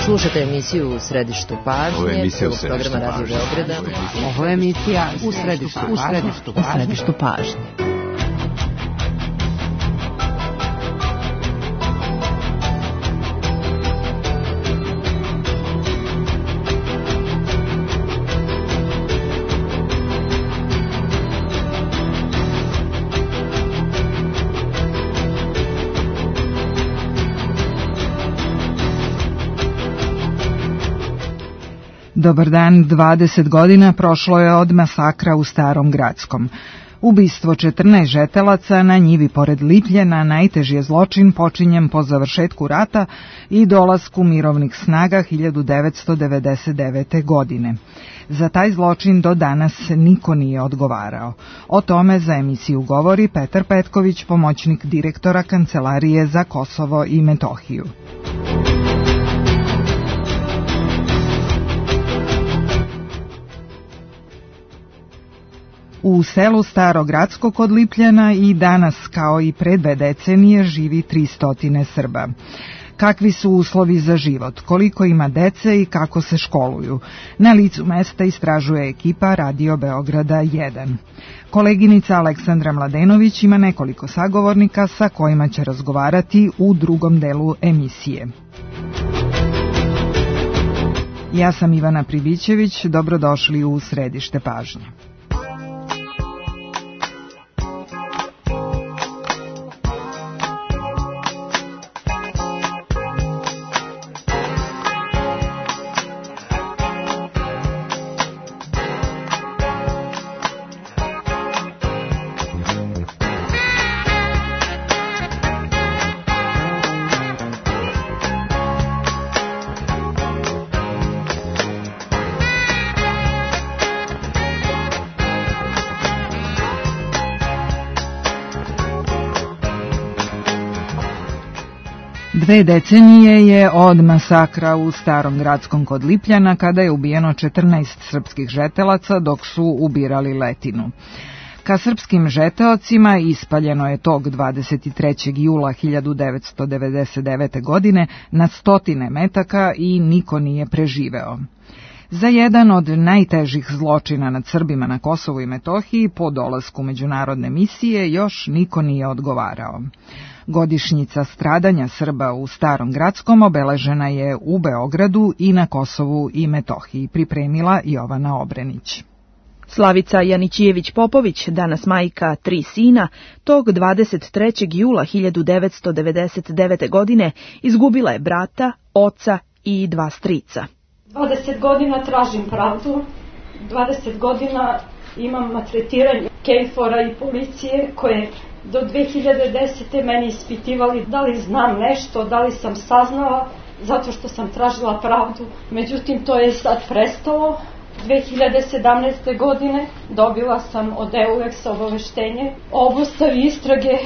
Slušate emisiju U središtu pažnje. Ovo je emisija U središtu pažnje. Radio Beograda. Ovo je emisija U središtu pažnje. Dobar dan, 20 godina prošlo je od masakra u Starom Gradskom. Ubistvo 14 žetelaca na njivi pored Lipljena najteži je zločin počinjen po završetku rata i dolasku mirovnih snaga 1999. godine. Za taj zločin do danas niko nije odgovarao. O tome za emisiju govori Petar Petković, pomoćnik direktora Kancelarije za Kosovo i Metohiju. U selu Staro Gradsko kod Lipljena i danas, kao i pre 2 decenije, živi 300 Srba. Kakvi su uslovi za život, koliko ima dece i kako se školuju? Na licu mesta istražuje ekipa Radio Beograda 1. Koleginica Aleksandra Mladenović ima nekoliko sagovornika sa kojima će razgovarati u drugom delu emisije. Ja sam Ivana Pribićević, dobrodošli u Središte pažnje. Dve decenije je od masakra u Starom Gradskom kod Lipljana, kada je ubijeno 14 srpskih žetelaca dok su ubirali letinu. Ka srpskim žeteocima ispaljeno je tog 23. jula 1999. godine na 100 metaka i niko nije preživeo. Za jedan od najtežih zločina nad Srbima na Kosovu i Metohiji po dolasku međunarodne misije još niko nije odgovarao. Godišnjica stradanja Srba u Starom Gradskom obeležena je u Beogradu i na Kosovu i Metohiji, pripremila Jovana Obrenić. Slavica Janićijević-Popović, danas majka 3 sina, tog 23. jula 1999. godine izgubila je brata, oca i 2 strica. 20 godina tražim pravdu, 20 godina imam maltretiranje KFOR-a i policije koje do 2010. meni ispitivali da li znam nešto, da li sam saznala, zato što sam tražila pravdu. Međutim, to je sad prestalo. 2017. godine dobila sam od EULEX-a obaveštenje o obustavi istrage.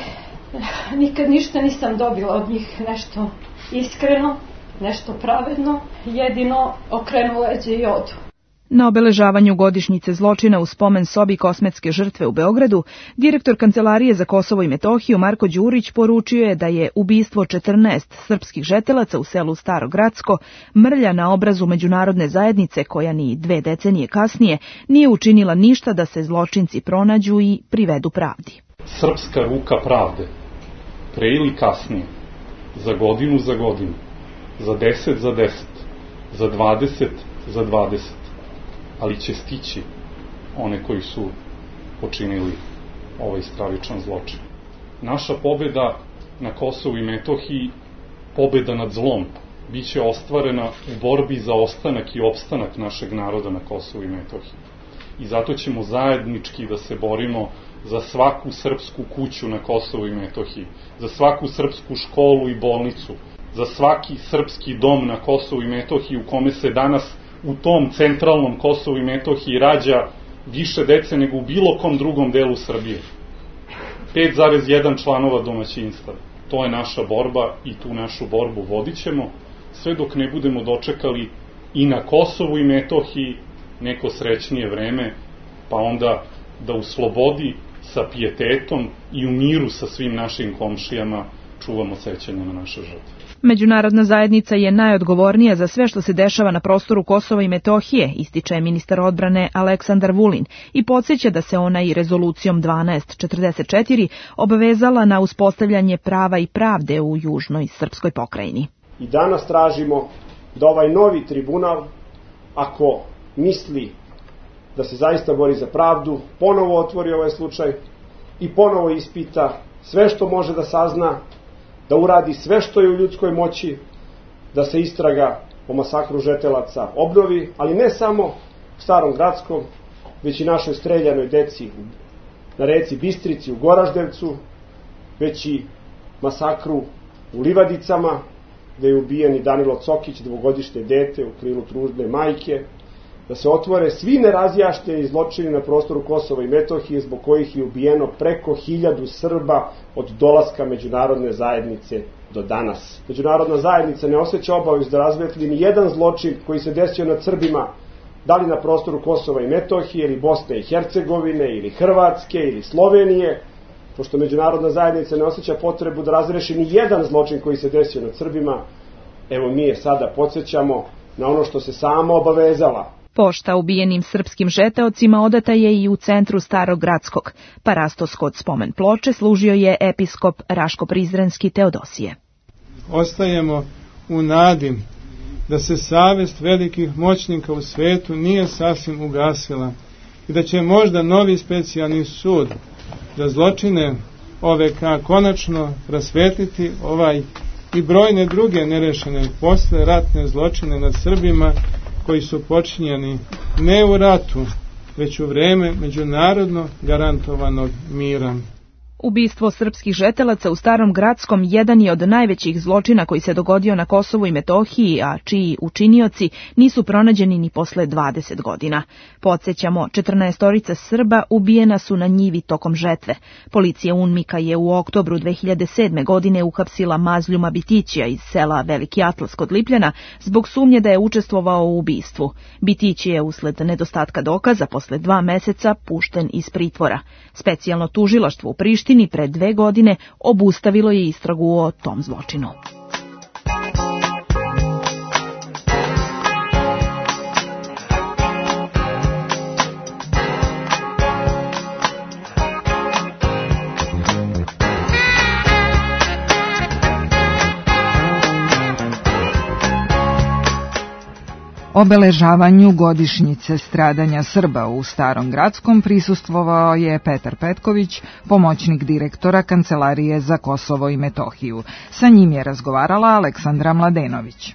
Nikad ništa nisam dobila od njih nešto iskreno, nešto pravedno, jedino okrenu leđe i odu. Na obeležavanju godišnjice zločina u spomen sobi Kosmetske žrtve u Beogradu, direktor Kancelarije za Kosovo i Metohiju Marko Đurić poručio je da je ubistvo 14 srpskih žetelaca u selu Staro Gradsko mrlja na obrazu međunarodne zajednice koja ni 2 decenije kasnije nije učinila ništa da se zločinci pronađu i privedu pravdi. Srpska ruka pravde, pre ili kasnije, za godinu, za 10, za 20, za 20. Ali će stići one koji su počinili ovaj stravičan zločin. Naša pobeda na Kosovu i Metohiji, pobeda nad zlom, bit će ostvarena u borbi za ostanak i opstanak našeg naroda na Kosovu i Metohiji. I zato ćemo zajednički da se borimo za svaku srpsku kuću na Kosovu i Metohiji, za svaku srpsku školu i bolnicu, za svaki srpski dom na Kosovu i Metohiji u kome se danas u tom centralnom Kosovu i Metohiji rađa više dece nego u bilo kom drugom delu Srbije. 5,1 članova domaćinstva. To je naša borba i tu našu borbu vodit ćemo, sve dok ne budemo dočekali i na Kosovu i Metohiji neko srećnije vreme, pa onda da u slobodi, sa pijetetom i u miru sa svim našim komšijama čuvamo sećanje na naše žrtve. Međunarodna zajednica je najodgovornija za sve što se dešava na prostoru Kosova i Metohije, ističe ministar odbrane Aleksandar Vulin i podsjeća da se ona i rezolucijom 1244 obavezala na uspostavljanje prava i pravde u južnoj srpskoj pokrajini. I danas tražimo da ovaj novi tribunal, ako misli da se zaista bori za pravdu, ponovo otvori ovaj slučaj i ponovo ispita sve što može da sazna, da uradi sve što je u ljudskoj moći, da se istraga o masakru žetelaca obnovi, ali ne samo u Starom Gradskom, već i našoj streljanoj deci na reci Bistrici u Goraždevcu, već i masakru u Livadicama, gde je ubijen i Danilo Cokić, dvogodišnje dete u krilu trudne majke, da se otvore svi nerazjašnjeni zločini na prostoru Kosova i Metohije zbog kojih je ubijeno preko 1000 Srba od dolaska međunarodne zajednice do danas. Međunarodna zajednica ne osjeća obavezu da razvetli ni jedan zločin koji se desio nad Srbima, da li na prostoru Kosova i Metohije, ili Bosne i Hercegovine, ili Hrvatske, ili Slovenije, pošto međunarodna zajednica ne osjeća potrebu da razreši ni jedan zločin koji se desio nad Srbima. Evo mi je sada podsjećamo na ono što se sama obavezala. Pošta ubijenim srpskim žeteocima odata je i u centru Starog Gradskog. Parastos kod spomen ploče služio je episkop Raško-Prizrenski Teodosije. Ostajemo u nadi da se savest velikih moćnika u svetu nije sasvim ugasila i da će možda novi specijalni sud za zločine OVK konačno rasvetliti ovaj i brojne druge nerešene posle ratne zločine nad Srbima koji su počinjeni ne u ratu, već u vreme međunarodno garantovanog mira. Ubistvo srpskih žetelaca u Starom Gradskom jedan je od najvećih zločina koji se dogodio na Kosovu i Metohiji, a čiji učinioci nisu pronađeni ni posle 20 godina. Podsjećamo, 14 Srba ubijena su na njivi tokom žetve. Policija UNMIK-a je u oktobru 2007. godine uhapsila Mazljuma Bitićija iz sela Veliki Atlas kod Lipljana zbog sumnje da je učestvovao u ubistvu. Bitić je usled nedostatka dokaza posle 2 meseca pušten iz pritvora. Specijalno tužilaštvo u Prištini pre 2 godine obustavilo je istragu o tom zločinu. Obeležavanju godišnjice stradanja Srba u Starom Gradskom prisustvovao je Petar Petković, pomoćnik direktora Kancelarije za Kosovo i Metohiju. Sa njim je razgovarala Aleksandra Mladenović.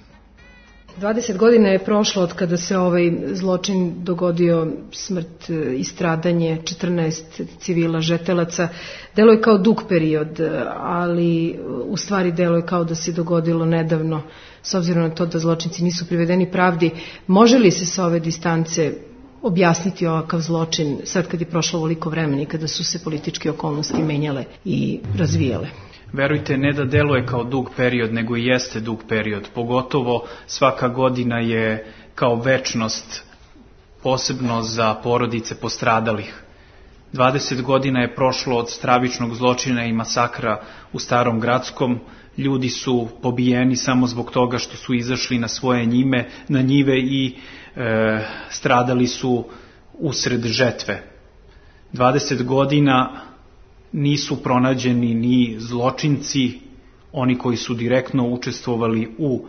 20 godina je prošlo od kada se ovaj zločin dogodio, smrt i stradanje 14 civila žetelaca. Delo je kao dug period, ali u stvari delo je kao da se dogodilo nedavno, s obzirom na to da zločinci nisu privedeni pravdi. Može li se sa ove distance objasniti ovakav zločin sad kad je prošlo ovoliko vremena i kada su se političke okolnosti menjale i razvijale? Verujte, ne da deluje kao dug period, nego i jeste dug period. Pogotovo svaka godina je kao večnost, posebno za porodice postradalih. 20 godina je prošlo od stravičnog zločina i masakra u Starom Gradskom. Ljudi su pobijeni samo zbog toga što su izašli na svoje njive i stradali su usred žetve. 20 godina nisu pronađeni ni zločinci, oni koji su direktno učestvovali u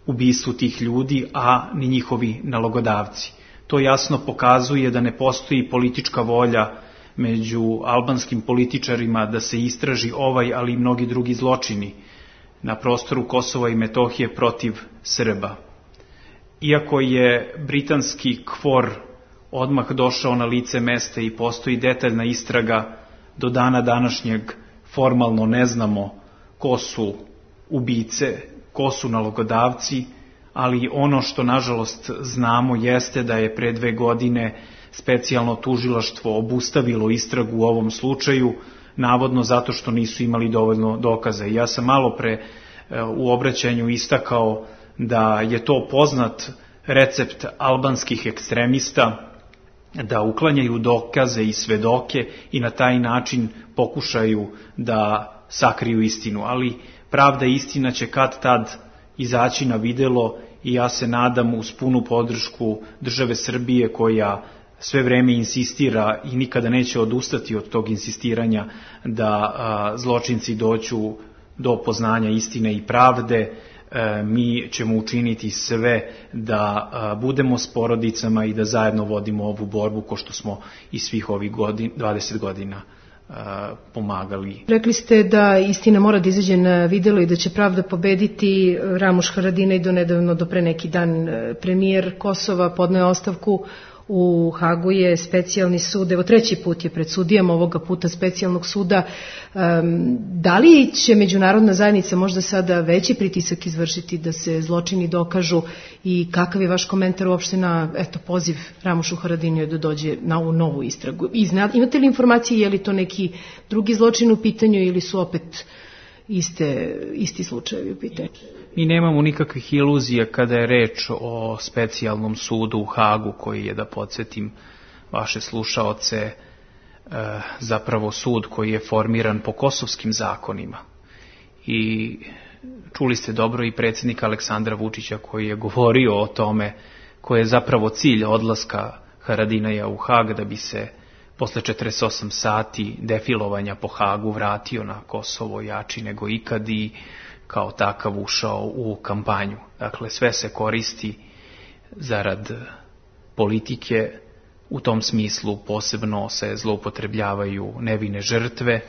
ubistvu tih ljudi, a ni njihovi nalogodavci. To jasno pokazuje da ne postoji politička volja među albanskim političarima da se istraži ovaj, ali i mnogi drugi zločini na prostoru Kosova i Metohije protiv Srba. Iako je britanski KFOR odmah došao na lice mesta i postoji detaljna istraga, do dana današnjeg formalno ne znamo ko su ubice, ko su nalogodavci, ali ono što nažalost znamo jeste da je pre 2 godine specijalno tužilaštvo obustavilo istragu u ovom slučaju, navodno zato što nisu imali dovoljno dokaza. Ja sam malo pre u obraćanju istakao da je to poznat recept albanskih ekstremista, da uklanjaju dokaze i svedoke i na taj način pokušaju da sakriju istinu, ali pravda i istina će kad tad izaći na videlo i ja se nadam uz punu podršku države Srbije koja sve vreme insistira i nikada neće odustati od tog insistiranja da zločinci dođu do poznanja istine i pravde. Mi ćemo učiniti sve da budemo s porodicama i da zajedno vodimo ovu borbu ko što smo i svih ovih 20 godina pomagali. Rekli ste da istina mora da izađe na videlo i da će pravda pobediti. Ramuš Haradinaj do pre neki dan premijer Kosova podneo ostavku. U Hagu je specijalni sud, evo 3. put je pred sudijama, ovoga puta specijalnog suda. Da li će međunarodna zajednica možda sada veći pritisak izvršiti da se zločini dokažu i kakav je vaš komentar uopšte na poziv Ramušu Haradinaju da dođe na ovu novu istragu? Imate li informacije, je li to neki drugi zločin u pitanju ili su opet isti slučajevi u pitanju? Mi nemamo nikakvih iluzija kada je reč o specijalnom sudu u Hagu, koji je, da podsjetim vaše slušaoce, zapravo sud koji je formiran po kosovskim zakonima. I čuli ste dobro i predsjednika Aleksandra Vučića koji je govorio o tome koji je zapravo cilj odlaska Haradinaja u Hag, da bi se posle 48 sati defilovanja po Hagu vratio na Kosovo jači nego ikad i kao takav ušao u kampanju. Dakle, sve se koristi zarad politike, u tom smislu posebno se zloupotrebljavaju nevine žrtve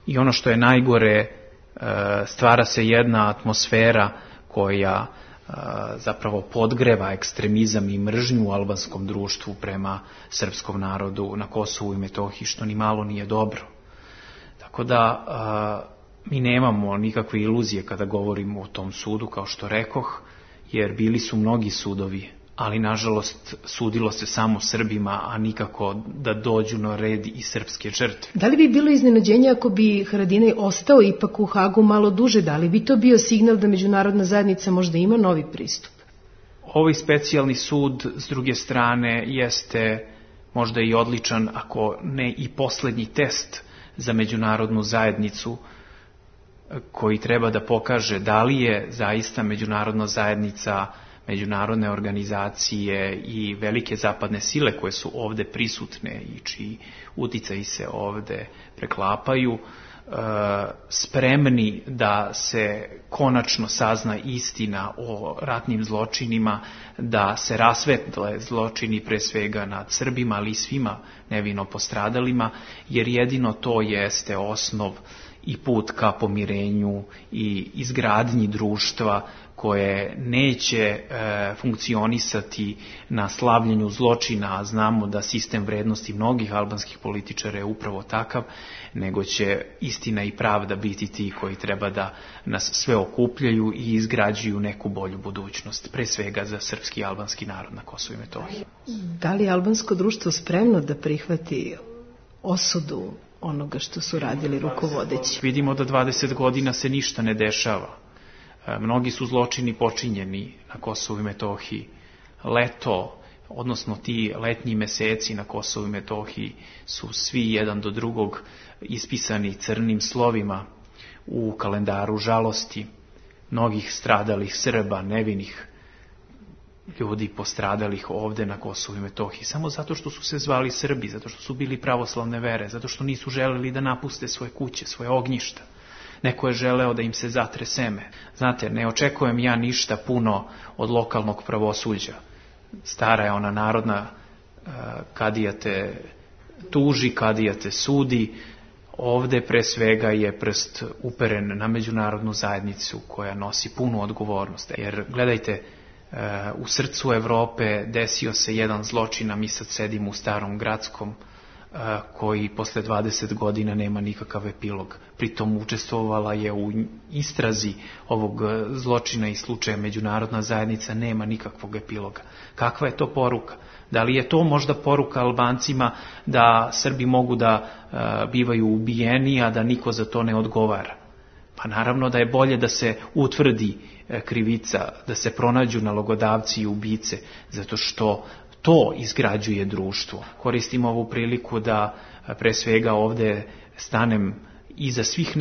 i ono što je najgore, stvara se jedna atmosfera koja zapravo podgreva ekstremizam i mržnju u albanskom društvu prema srpskom narodu na Kosovu i Metohiji, što ni malo nije dobro. Tako da mi nemamo nikakve iluzije kada govorimo o tom sudu, kao što rekoh, jer bili su mnogi sudovi, ali nažalost sudilo se samo Srbima, a nikako da dođu na red i srpske žrtve. Da li bi bilo iznenađenje ako bi Haradinaj ostao ipak u Hagu malo duže? Da li bi to bio signal da međunarodna zajednica možda ima novi pristup? Ovaj specijalni sud, s druge strane, jeste možda i odličan, ako ne i poslednji test za međunarodnu zajednicu, koji treba da pokaže da li je zaista međunarodna zajednica, međunarodne organizacije i velike zapadne sile koje su ovde prisutne i čiji uticaji se ovde preklapaju, spremni da se konačno sazna istina o ratnim zločinima, da se rasvetle zločini pre svega nad Srbima, ali i svima nevino postradalima, jer jedino to jeste osnov i put ka pomirenju i izgradnji društva koje neće funkcionisati na slavljenju zločina, a znamo da sistem vrednosti mnogih albanskih političara je upravo takav, nego će istina i pravda biti ti koji treba da nas sve okupljaju i izgrađuju neku bolju budućnost, pre svega za srpski i albanski narod na Kosovu i Metohiji. Da li je albansko društvo spremno da prihvati osudu onoga što su radili rukovodeći? Vidimo da 20 godina se ništa ne dešava. Mnogi su zločini počinjeni na Kosovu i Metohiji. Leto, odnosno ti letnji meseci na Kosovu i Metohiji su svi jedan do drugog ispisani crnim slovima u kalendaru žalosti mnogih stradalih Srba, nevinih ljudi postradalih ovde na Kosovu i Metohiji, samo zato što su se zvali Srbi, zato što su bili pravoslavne vere, zato što nisu želeli da napuste svoje kuće, svoje ognjišta. Neko je želeo da im se zatre seme. Znate, ne očekujem ja ništa puno od lokalnog pravosuđa. Stara je ona narodna, kadija te tuži, kadija te sudi. Ovde pre svega je prst uperen na međunarodnu zajednicu koja nosi punu odgovornost. Jer gledajte, u srcu Evrope desio se jedan zločin, a mi sad sedimo u Starom Gradskom, koji posle 20 godina nema nikakav epilog. Pritom učestvovala je u istrazi ovog zločina i slučaja međunarodna zajednica, nema nikakvog epiloga. Kakva je to poruka? Da li je to možda poruka Albancima da Srbi mogu da bivaju ubijeni, a da niko za to ne odgovara? Pa naravno da je bolje da se utvrdi krivica, da se pronađu nalogodavci i ubice, zato što to izgrađuje društvo. Koristim ovu priliku da pre svega ovde stanem iza svih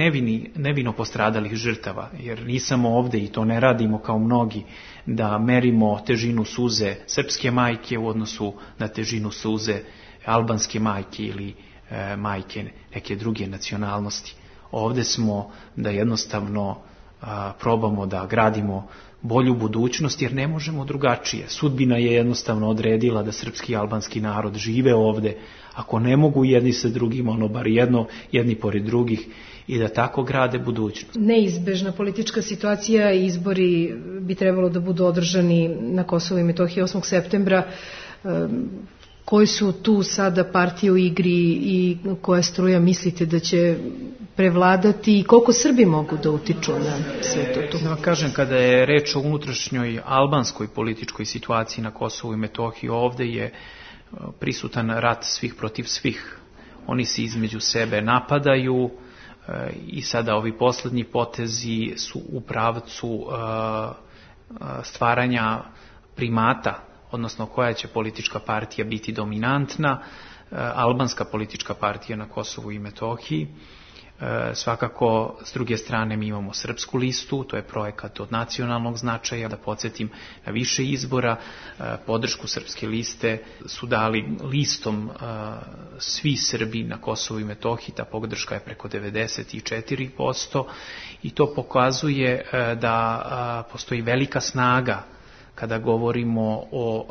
nevino postradalih žrtava, jer nisamo ovde i to ne radimo kao mnogi da merimo težinu suze srpske majke u odnosu na težinu suze albanske majke ili majke neke druge nacionalnosti. Ovde smo da jednostavno probamo da gradimo bolju budućnost, jer ne možemo drugačije. Sudbina je jednostavno odredila da srpski i albanski narod žive ovde, ako ne mogu jedni sa drugima, ono bar jedni pored drugih, i da tako grade budućnost. Neizbežna politička situacija i izbori bi trebalo da budu održani na Kosovu i Metohiji 8. septembra. Koji su tu sada partije u igri i koja struja mislite da će prevladati i koliko Srbi mogu da utiču na sve to? Da vam kažem, kada je reč o unutrašnjoj albanskoj političkoj situaciji na Kosovu i Metohiji, ovde je prisutan rat svih protiv svih. Oni se između sebe napadaju i sada ovi poslednji potezi su u pravcu stvaranja primata, odnosno koja će politička partija biti dominantna. Albanska politička partija na Kosovu i Metohiji. Svakako, s druge strane, mi imamo srpsku listu, to je projekat od nacionalnog značaja. Da podsjetim, na više izbora podršku srpske liste su dali listom svi Srbi na Kosovu i Metohiji. Ta podrška je preko 94% i to pokazuje da postoji velika snaga kada govorimo o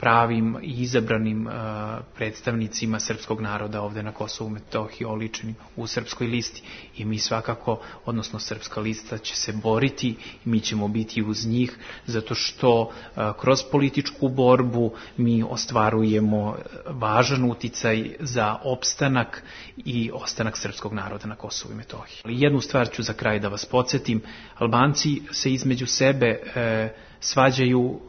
pravim i izabranim predstavnicima srpskog naroda ovde na Kosovu i Metohiji, oličenim u srpskoj listi. I mi svakako, odnosno srpska lista će se boriti i mi ćemo biti uz njih, zato što kroz političku borbu mi ostvarujemo važan uticaj za opstanak i ostanak srpskog naroda na Kosovu i Metohiji. Ali jednu stvar ću za kraj da vas podsjetim. Albanci se između sebe svađaju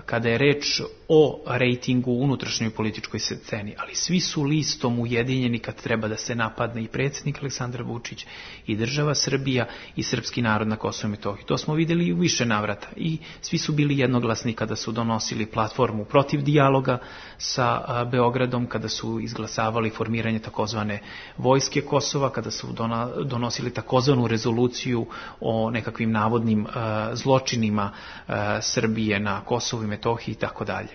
kada je reč o rejtingu u unutrašnjoj političkoj sceni, ali svi su listom ujedinjeni kad treba da se napadne i predsjednik Aleksandar Vučić i država Srbija i srpski narod na Kosovu i Metohiji. To smo videli i u više navrata i svi su bili jednoglasni kada su donosili platformu protiv dijaloga sa Beogradom, kada su izglasavali formiranje takozvane vojske Kosova, kada su donosili takozvanu rezoluciju o nekakvim navodnim zločinima Srbije na Kosovu i Metohiji i tako dalje.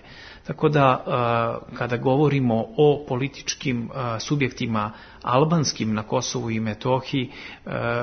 Tako da, kada govorimo o političkim subjektima albanskim na Kosovu i Metohiji,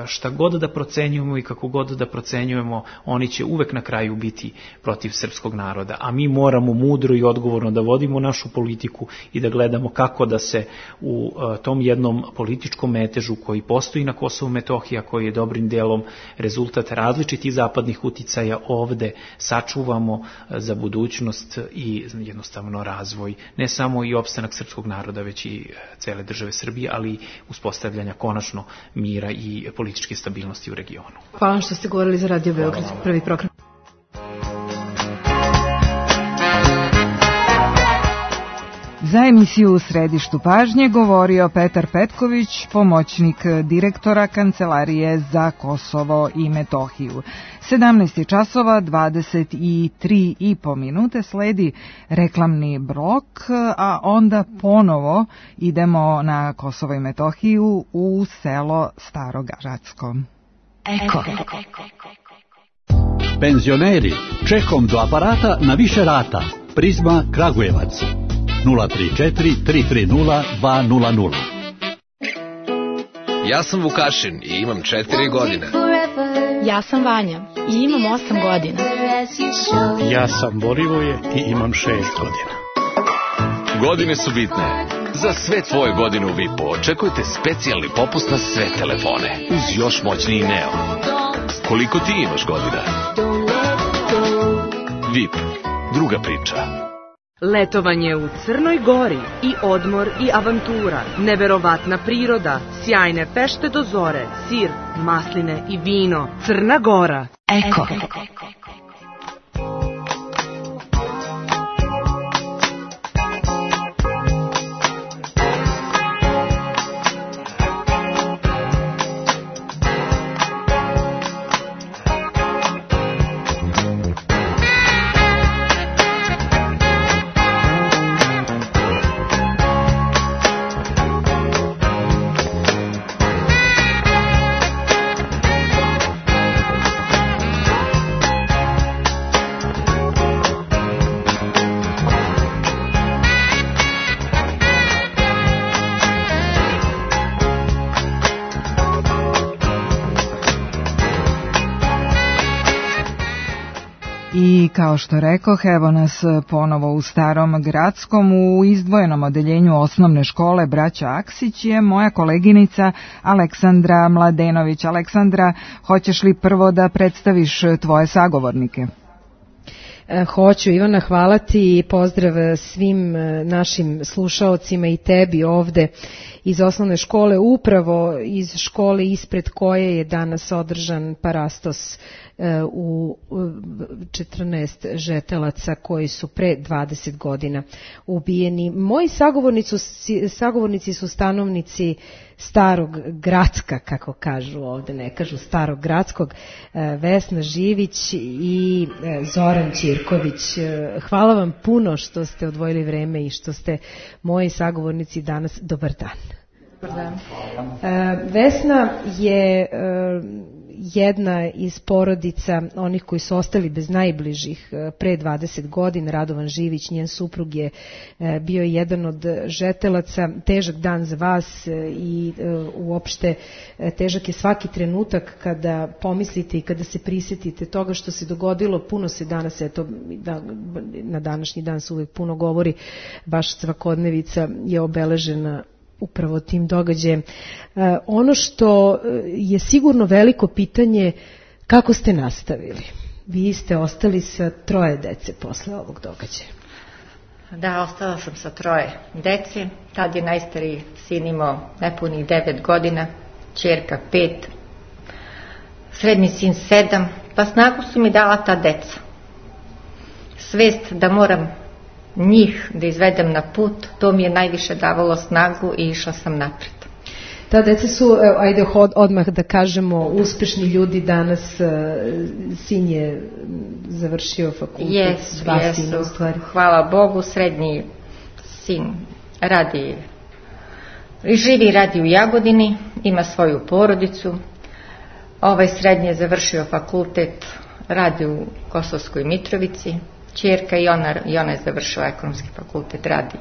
šta god da procenjujemo i kako god da procenjujemo, oni će uvek na kraju biti protiv srpskog naroda. A mi moramo mudro i odgovorno da vodimo našu politiku i da gledamo kako da se u tom jednom političkom metežu koji postoji na Kosovu i Metohiji, a koji je dobrim delom rezultat različitih zapadnih uticaja, ovde sačuvamo za budućnost i jednostavno razvoj, ne samo i opstanak srpskog naroda, već i cele države Srbije, ali i uspostavljanja konačno mira i političke stabilnosti u regionu. Hvala što ste govorili za Radio Beograd, prvi program. Za emisiju U središtu pažnje govorio Petar Petković, pomoćnik direktora Kancelarije za Kosovo i Metohiju. 17 časova 23,5 minute, sledi reklamni blok, a onda ponovo idemo na Kosovo i Metohiju u selo Staro Gracko. Eko. Penzioneri, čekom do aparata na više rata. Prizma Kragujevac. 034 330 200. Ja sam Vukašin i imam 4 godine. Ja sam Vanja i imam 8 godina. Ja sam Borivoje i imam 6 godina. Godine su bitne. Za sve tvoje godine u VIP-u očekujte specijalni popust na sve telefone uz još moćniji Neo. Koliko ti imaš godina? VIP. Druga priča. Letovanje u Crnoj Gori i odmor i avantura, neverovatna priroda, sjajne pešte do zore, sir, masline i vino. Crna Gora. Eko. I kao što rekoh, evo nas ponovo u Starom Gradskom, u izdvojenom odeljenju osnovne škole Braća Aksić je moja koleginica Aleksandra Mladenović. Aleksandra, hoćeš li prvo da predstaviš tvoje sagovornike? Hoću, Ivana, hvala ti i pozdrav svim našim slušaocima i tebi ovde iz osnovne škole, upravo iz škole ispred koje je danas održan parastos u 14 žetelaca koji su pre 20 godina ubijeni. Moji sagovornici su stanovnici Starog Gradska, kako kažu ovde, ne kažu Starog Gradskog, Vesna Živić i Zoran Ćirković. Hvala vam puno što ste odvojili vreme i što ste moji sagovornici danas. Dobar dan. Dobar dan. Vesna je jedna iz porodica onih koji su ostali bez najbližih pre 20 godina. Radovan Živić, njen suprug, je bio jedan od žetelaca. Težak dan za vas i uopšte težak je svaki trenutak kada pomislite i kada se prisjetite toga što se dogodilo. Puno se danas, eto, na današnji dan se uvijek puno govori, baš svakodnevica je obeležena upravo tim događajem. Ono što je sigurno veliko pitanje, kako ste nastavili? Vi ste ostali sa 3 dece posle ovog događaja. Da, ostala sam sa 3 dece. Tad je najstariji sin imao nepunih 9 godina, ćerka 5, srednji sin 7, pa snagu su mi dala ta deca. Svest da moram njih da izvedem na put, to mi je najviše davalo snagu i išla sam napred. Ta deca su, ajde odmah da kažemo, uspešni ljudi danas. Sin je završio fakultet. Jesu, hvala Bogu. Srednji sin živi i radi u Jagodini, ima svoju porodicu. Ovaj srednji je završio fakultet, radi u Kosovskoj Mitrovici. Ćerka i ona je završila ekonomski fakultet, radi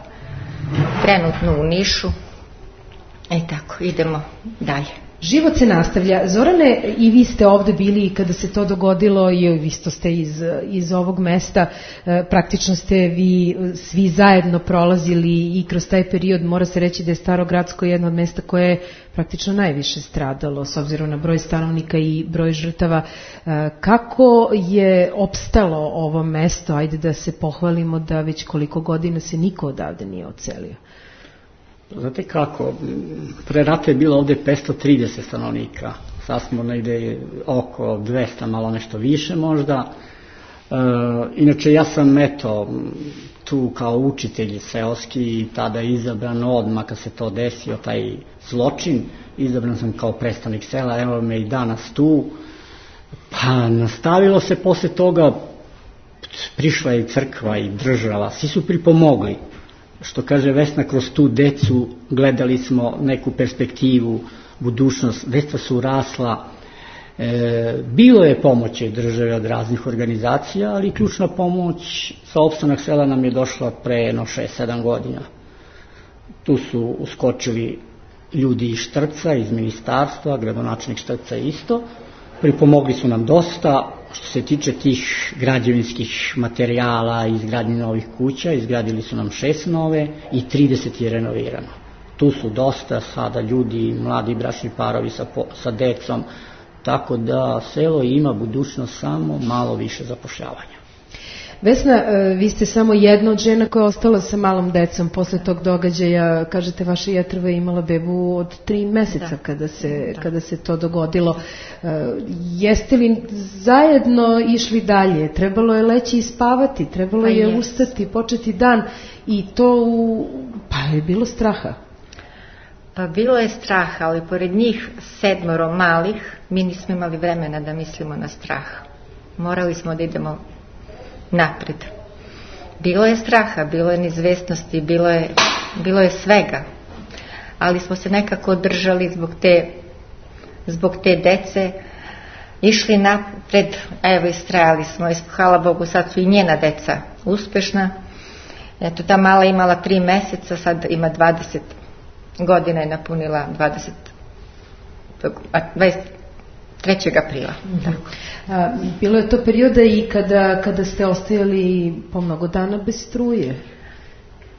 trenutno u Nišu. Tako, idemo dalje. Život se nastavlja. Zorane, i vi ste ovde bili kada se to dogodilo i vi ste iz ovog mesta. Praktično ste vi svi zajedno prolazili i kroz taj period. Mora se reći da je Staro Gradsko jedno od mesta koje je praktično najviše stradalo s obzirom na broj stanovnika i broj žrtava. Kako je opstalo ovo mesto? Ajde da se pohvalimo da već koliko godina se niko odavde nije odselio. Znate kako, pre rata je bilo ovde 530 stanovnika, sad smo negde oko 200, malo nešto više možda. Inače ja sam tu kao učitelj seoski i tada izabran odmah kad se to desio, taj zločin, izabran sam kao predstavnik sela, evo me i danas tu. Pa nastavilo se posle toga, prišla je i crkva i država, svi su pripomogli. Što kaže Vesna, kroz tu decu gledali smo neku perspektivu, budućnost, deca su rasla. Bilo je pomoći države od raznih organizacija, ali ključna pomoć sa opstanak sela nam je došla pre 6-7 godina. Tu su uskočili ljudi iz Štrca, iz ministarstva, gradonačelnik Štrca isto. Pripomogli su nam dosta. Što se tiče tih građevinskih materijala i izgradnje novih kuća, izgradili su nam 6 nove i 30 je renovirano. Tu su dosta sada ljudi, mladi bračni parovi sa decom, tako da selo ima budućnost, samo malo više zapošljavanja. Vesna, vi ste samo jedna od žena koja je ostala sa malom decom posle tog događaja. Kažete, vaša jetrva je imala bebu od 3 meseca kada se to dogodilo. Jeste li zajedno išli dalje? Trebalo je leći i spavati, trebalo je ustati, početi dan i to pa je bilo straha. Pa bilo je straha, ali pored njih 7 malih mi nismo imali vremena da mislimo na strah. Morali smo da idemo napred. Bilo je straha, bilo je neizvesnosti, bilo je svega, ali smo se nekako održali zbog te dece, išli napred, evo istrajali smo, hvala Bogu, sad su i njena deca uspešna. Eto, ta mala imala 3 meseca, sad ima 20 godina, je napunila 3. aprila. Bilo je to perioda i kada ste ostajali po mnogo dana bez struje.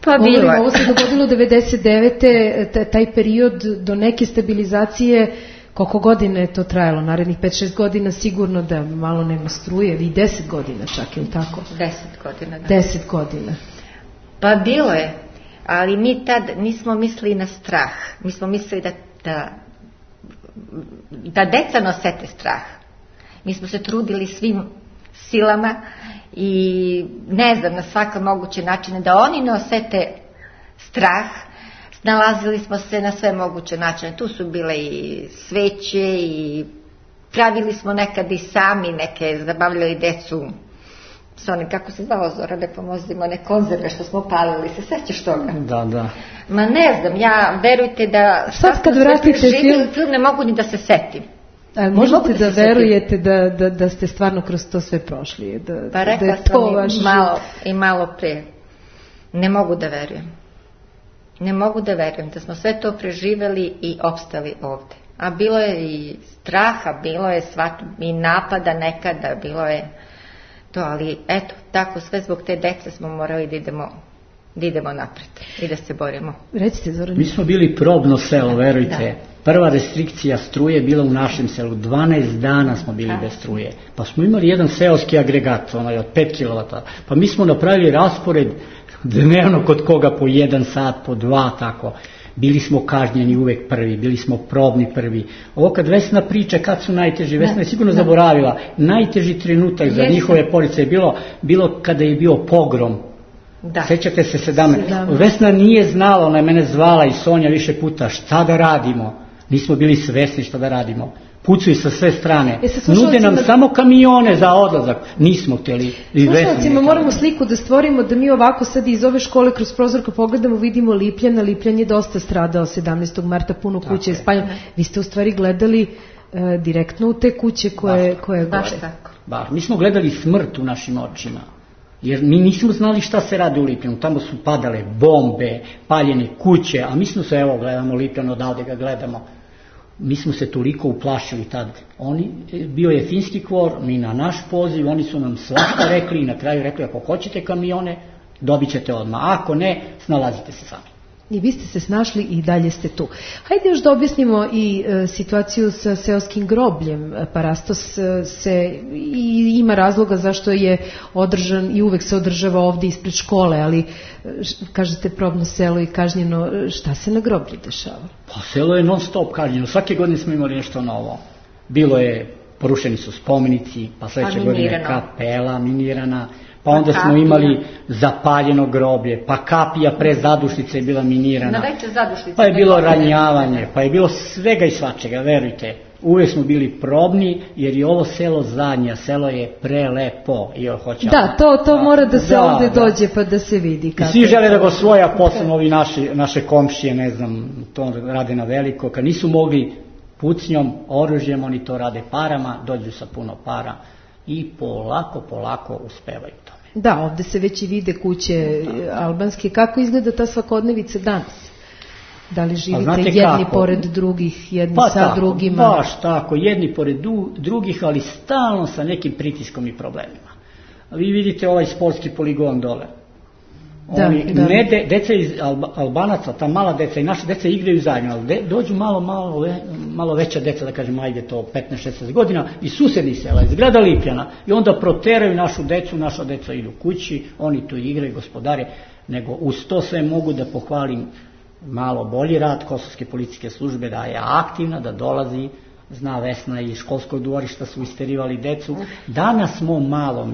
Pa bilo je. Ovo se dogodilo 99. taj period do neke stabilizacije. Koliko godina je to trajalo? Narednih 5-6 godina sigurno da malo nema struje, i 10 godina čak, ili tako? 10 godina, da. 10 godina. Pa bilo je, ali mi tad nismo mislili na strah. Mi smo mislili da deca nosete strah. Mi smo se trudili svim silama i ne znam, na svaka moguće načine da oni ne osete strah. Nalazili smo se na sve moguće načine. Tu su bile i sveće i pravili smo nekad i sami neke, zabavljali decu s onim, kako se zvao, Zora, ne pomozimo, one konzerve što smo palili, se sećaš toga? Da. Ma ne znam, verujte da sad kad vratite film ne mogu ni da se setim. Možete da verujete da ste stvarno kroz to sve prošli? Pa rekla sam i malo pre. Ne mogu da verujem. Ne mogu da verujem da smo sve to preživeli i opstali ovde. A bilo je i straha, bilo je i napada nekada, bilo je to, ali eto, tako sve zbog te dece smo morali da idemo napred i da se borimo. Recite, Zoran. Mi smo bili probno selo, verujte. Prva restrikcija struje je bila u našem selu. 12 dana smo bili bez struje. Pa smo imali jedan seoski agregat, onaj od 5 kW. Pa mi smo napravili raspored dnevno kod koga po 1 sat, po 2, tako. Bili smo kažnjeni uvek prvi, bili smo probni prvi. Ovo kad Vesna priča kad su najteži, Vesna je sigurno zaboravila. Najteži trenutak za njihove porodice je bilo kada je bio pogrom. Sećate se 17. Vesna nije znala, ona je mene zvala i Sonja više puta, šta da radimo. Nismo bili svesni šta da radimo. Pucuju sa sve strane. Nude nam samo kamione za odlazak. Nismo htjeli. Slušalcima moramo sliku da stvorimo, da mi ovako sad iz ove škole kroz prozor kad pogledamo vidimo Lipljana. Lipljan je dosta stradao 17. marta, puno kuće je spaljeno. Vi ste u stvari gledali direktno u te kuće koje gore. Baš tako. Mi smo gledali smrt u našim očima. Jer mi nismo znali šta se radi u Lipljanu. Tamo su padale bombe, paljene kuće, a mi smo se, evo, gledamo Lipljan, odavde ga gledamo. Mi smo se toliko uplašili tad. Bio je finski kvor, mi na naš poziv, oni su nam svašta rekli i na kraju rekli, ako hoćete kamione, dobit ćete odmah. Ako ne, snalazite se sami. I vi ste se snašli i dalje ste tu. Hajde još da objasnimo i situaciju sa seoskim grobljem. Parastos ima razloga zašto je održan i uvek se održava ovdje ispred škole, ali kažete probno selo i kažnjeno, šta se na groblju dešava? Pa selo je non stop kažnjeno, svake godine smo imali nešto novo. Bilo je, porušeni su spomenici, pa sledeće godine kapela minirana, pa onda smo imali zapaljeno groblje, pa kapija pre zadušnice je bila minirana, pa je bilo ranjavanje, pa je bilo svega i svačega, verujte. Uvijek smo bili probni, jer je ovo selo zadnja, selo je prelepo. Da, to mora da se ovdje dođe pa da se vidi. I svi žele da go svoja, posebno ovi naše komšije, ne znam, to rade na veliko, kad nisu mogli pucnjom, oružjem, oni to rade parama, dođu sa puno para i polako uspevaju tome. Da, ovdje se već i vide kuće albanske. Kako izgleda ta svakodnevica danas? Da li živite jedni pored drugih, jedni sa drugima? Baš tako, jedni pored drugih, ali stalno sa nekim pritiskom i problemima. Vi vidite ovaj sportski poligon dole. Deca iz Albanaca, ta mala deca i naša deca igraju zajedno, ali dođu malo veća deca, da kažem, ajde to 15-16 godina, iz susednih sela, iz grada Lipljana, i onda proteraju našu decu, naša deca idu kući, oni tu igraju, gospodare, nego uz to sve mogu da pohvalim malo bolji rad Kosovske policijske službe, da je aktivna, da dolazi, zna Vesna i školskog dvorišta su isterivali decu. Danas smo malo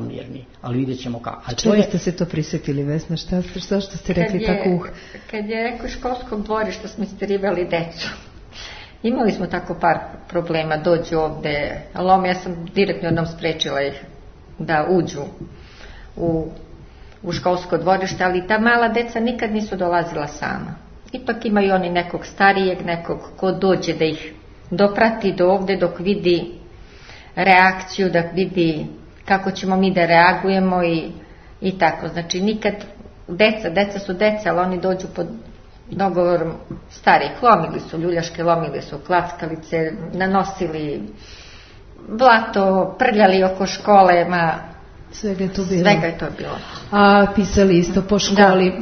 mirni, ali vidjet ćemo kako. Čega ste se to prisjetili, Vesna? Što ste rekli tako? Kad je rekao školskog dvorišta smo isterivali decu. Imali smo tako par problema, dođu ovde, ali ja sam direktno jednom sprečila ih da uđu u školsko dvorište, ali ta mala deca nikad nisu dolazila sama. Ipak imaju oni nekog starijeg, nekog ko dođe da ih doprati do ovde dok vidi reakciju, da vidi kako ćemo mi da reagujemo i tako. Znači nikad, deca su deca, ali oni dođu dogovorom starih. Lomili su ljuljaške, lomili su klackalice, nanosili blato, prljali oko škole, svega je to bilo. Svega je to bilo. A pisali isto po školi.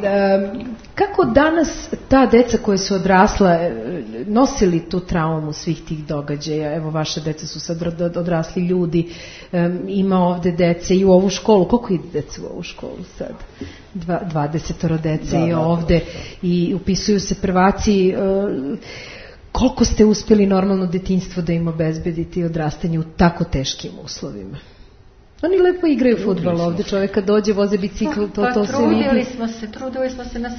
Kako danas ta deca koja su odrasla nosili tu traumu svih tih događaja? Evo, vaše deca su sad odrasli ljudi, ima ovde dece i u ovu školu. Koliko ide deca u ovu školu sad? 20 dece je ovde i upisuju se prvaci. Koliko ste uspjeli normalno detinjstvo da im obezbedite i odrastanje u tako teškim uslovima? Oni lepo igraju fudbal ovde, čovjek kad dođe, voze bicikl, to se vidi. Trudili smo se na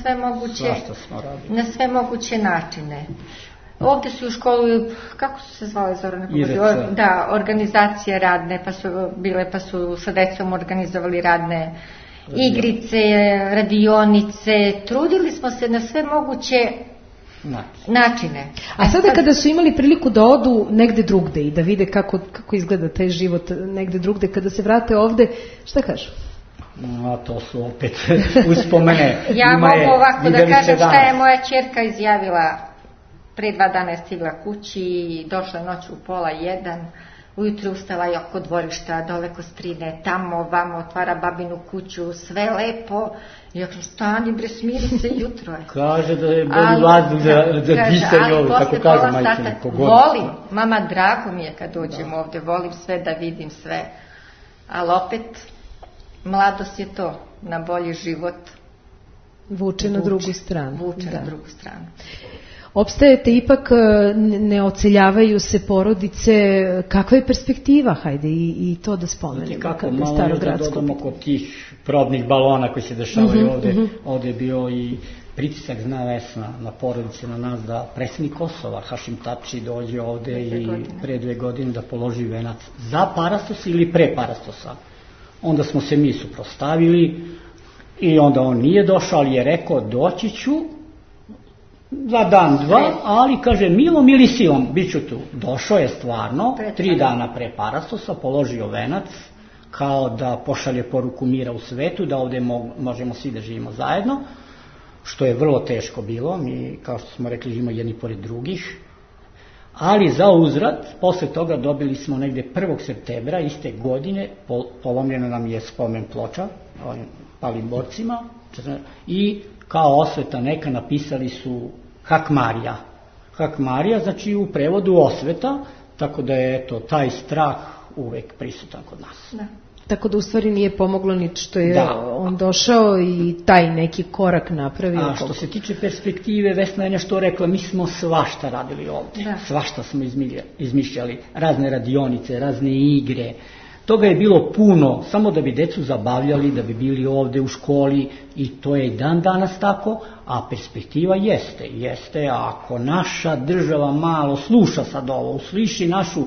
sve moguće načine. Ovde su u školu, kako su se zvale, Zorana? Da, organizacije radne, pa su sa decom organizovali radne igrice, radionice. Trudili smo se na sve moguće načine. A sada kada su imali priliku da odu negde drugde i da vide kako izgleda taj život negde drugde, kada se vrate ovde, šta kažu? To su opet uspomene. Ja mogu ovako da kažem šta je moja ćerka izjavila. Pre 2 dana je stigla kući i došla noću u 12:30. Ujutru ustala je oko dvorišta, dole Kostrine, tamo, ovamo, otvara babinu kuću, sve lepo. I ja kažem, stani bre, smiri se, jutro je. Kaže da je bolji vazduh za disanje ovo, tako kaže majčine. Volim, mama, drago mi je kad dođem ovde, volim sve da vidim sve. Ali opet, mladost je to, na bolji život. Vuče na drugu stranu. Vuče na drugu stranu. Opstajete ipak, ne oceljavaju se porodice, kakva je perspektiva, hajde i to da spomenemo. Kako, malo još da dodamo kod tih probnih balona koji se dešavaju ovde, ovde je bio i pritisak, zna Vesna, na porodice, na nas, da predsjednik Kosova, Hašim Tači, dođe ovde i pre 2 godine da položi venac za Parastos ili pre Parastosa. Onda smo se mi suprostavili i onda on nije došao, ali je rekao doći ću za dan, 2, ali kaže milom ili silom, bit ću tu. Došao je stvarno, 3 dana pre Parastosa, položio venac, kao da pošalje poruku mira u svetu, da ovde možemo svi da živimo zajedno, što je vrlo teško bilo, mi, kao što smo rekli, živimo jedni pored drugih, ali za uzvrat, posle toga dobili smo negde 1. septembra iste godine, polomljena nam je spomen ploča, palim borcima, i kao osveta neka napisali su Hak Marija. Hak Marija, znači u prevodu osveta, tako da je taj strah uvek prisutan kod nas. Da. Tako da u stvari nije pomoglo ni što je on došao i taj neki korak napravio. A što se tiče perspektive, Vesna je nešto rekla, mi smo svašta radili ovde. Svašta smo izmišljali, razne radionice, razne igre. Toga je bilo puno, samo da bi decu zabavljali, da bi bili ovde u školi i to je i dan danas tako, a perspektiva jeste, ako naša država malo sluša sad ovo, usliši našu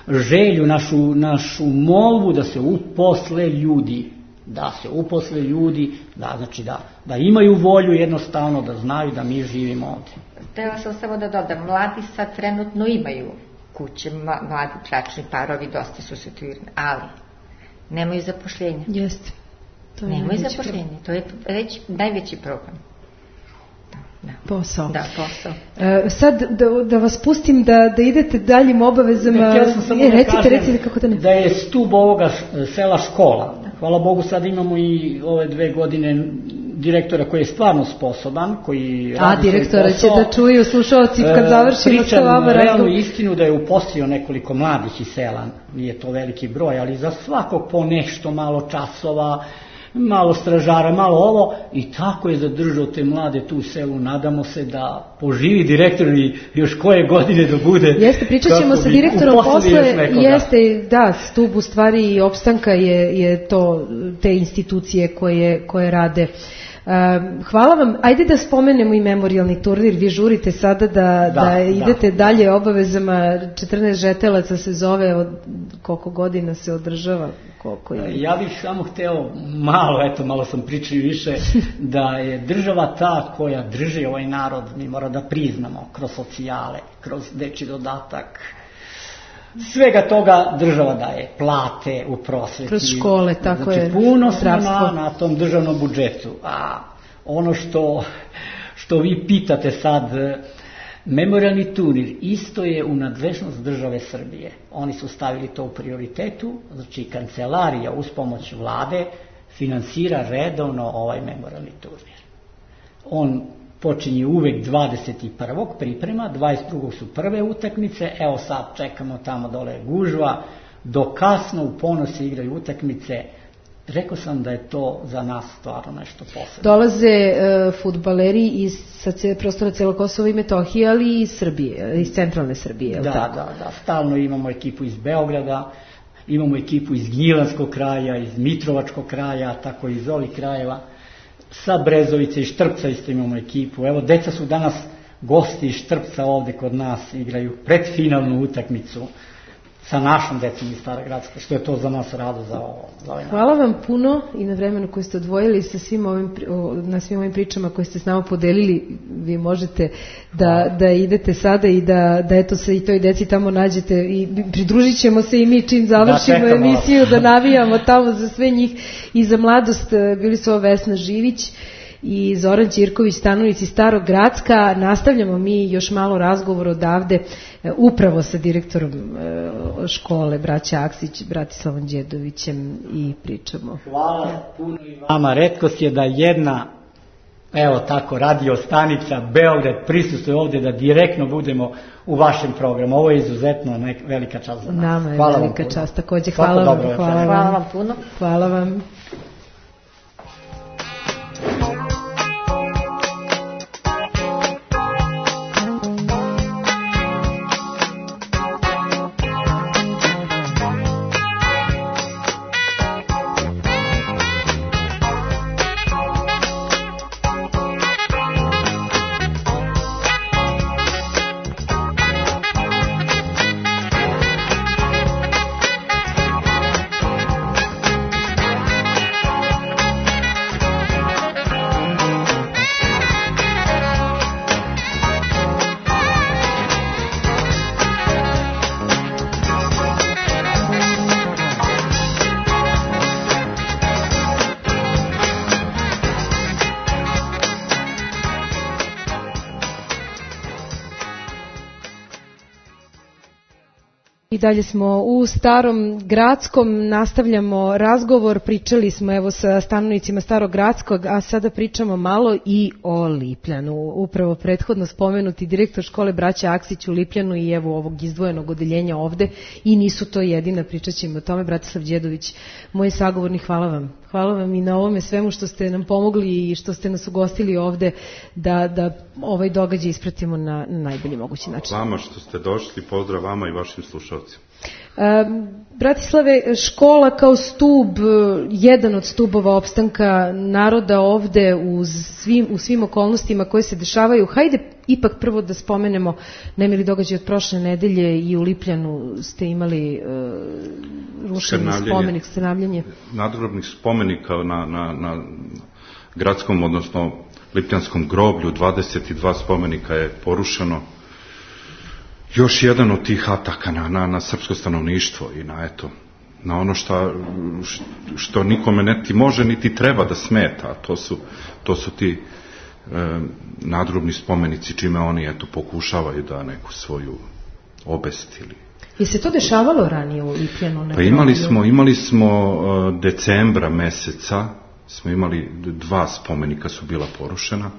želju, našu molbu da se uposle ljudi, znači da imaju volju jednostavno, da znaju da mi živimo ovde. Htela sam samo da dodam, mladi sad trenutno imaju kuće, mladi bračni parovi, dosta su situirani, ali nemaju zapošljenja. Jeste. Nemaju zapošljenja, to je već najveći problem. Posao. Da, posao. Sad da vas pustim da idete daljim obavezama. Recite kako da ne. Da je stub ovoga sela škola. Hvala Bogu, sad imamo i ove 2 godine direktora koji je stvarno sposoban, koji radi direktora će da čuju slušalci kad završimo sa vama razgovor. Pričam realnu istinu da je uposlio nekoliko mladih iz sela, nije to veliki broj, ali za svakog po nešto, malo časova, malo stražara, malo ovo, i tako je zadržao te mlade tu u selu. Nadamo se da poživi direktor i još koje godine da bude. Jeste, pričat ćemo sa direktorom posle. Jeste, da, stub u stvari i opstanka je to, te institucije koje rade. Hvala vam. Ajde da spomenemo i memorijalni turnir. Vi žurite sada da idete dalje obavezama. 14 žetelaca se zove, od koliko godina se održava? Ja bih samo hteo malo sam pričao više, da je država ta koja drži ovaj narod, mi mora da priznamo, kroz socijale, kroz dečji dodatak, svega toga država daje, plate u prosveti. Kroz škole, tako je. Znači puno smo na tom državnom budžetu, a ono što što vi pitate sad, memorialni turnir isto je u nadležnost države Srbije. Oni su stavili to u prioritetu, znači kancelarija uz pomoć vlade finansira redovno ovaj memorialni turnir. On počinje uvek 21. priprema, 22. su prve utakmice, evo sad čekamo tamo dole gužva, do kasno u ponoć se igraju utakmice. Rekao sam da je to za nas stvarno nešto posebno. Dolaze fudbaleri sa prostora celog Kosova i Metohije, ali i iz Srbije, iz centralne Srbije. Da, stalno imamo ekipu iz Beograda, imamo ekipu iz Gnjilanskog kraja, iz Mitrovačkog kraja, tako iz ovih krajeva. Sa Brezovice i Štrpca isto imamo ekipu. Evo, deca su danas gosti iz Štrpca ovde kod nas, igraju predfinalnu utakmicu sa našom decom iz Stara Gracka, što je to za nas rado za ovaj. Hvala vam puno i na vremenu koje ste odvojili na svim ovim pričama koje ste s nama podelili. Vi možete da idete sada i da eto se i toj deci tamo nađete i pridružit ćemo se i mi čim završimo emisiju da navijamo tamo za sve njih i za mladost. Bili su ovo Vesna Živić i Zoran Ćirković, stanovnici Starog Gracka. Nastavljamo mi još malo razgovor odavde upravo sa direktorom škole braća Aksić, Bratislavom Đedovićem i pričamo. Hvala puno i vama. Retkost je da jedna, evo tako, radio stanica Beograd prisustuje ovde da direktno budemo u vašem programu. Ovo je izuzetno velika čast za nas. Nama je velika čast takođe. Hvala vam puno. Hvala vam. I dalje smo u Starom Gradskom, nastavljamo razgovor, pričali smo evo sa stanovnicima Starog Gradskog, a sada pričamo malo i o Lipljanu. Upravo prethodno spomenuti direktor škole braća Aksić u Lipljanu i evo ovog izdvojenog odeljenja ovde i nisu to jedina, pričat ćemo o tome. Bratislav Đedović, moj sagovornik, hvala vam. Hvala vam i na ovome svemu što ste nam pomogli i što ste nas ugostili ovde da ovaj događaj ispratimo na najbolji mogući način. Vama što ste došli, pozdrav vama i vašim slušalcima. Bratislave, škola kao stub, jedan od stubova opstanka naroda ovde u svim okolnostima koje se dešavaju. Hajde ipak prvo da spomenemo nemili događaj od prošle nedelje i u Lipljanu ste imali rušenje spomenik, skrnavljanje. Nadgrobnih spomenika na gradskom, odnosno Lipljanskom groblju, 22 spomenika je porušeno. Još jedan od tih ataka na srpsko stanovništvo i na ono što nikome niti može niti treba da smeta, a to su ti nadgrobni spomenici čime oni pokušavaju da neku svoju obest ili... Je se to dešavalo ranije u Lipljanu? Pa imali smo decembra meseca, smo imali 2 spomenika su bila porušena.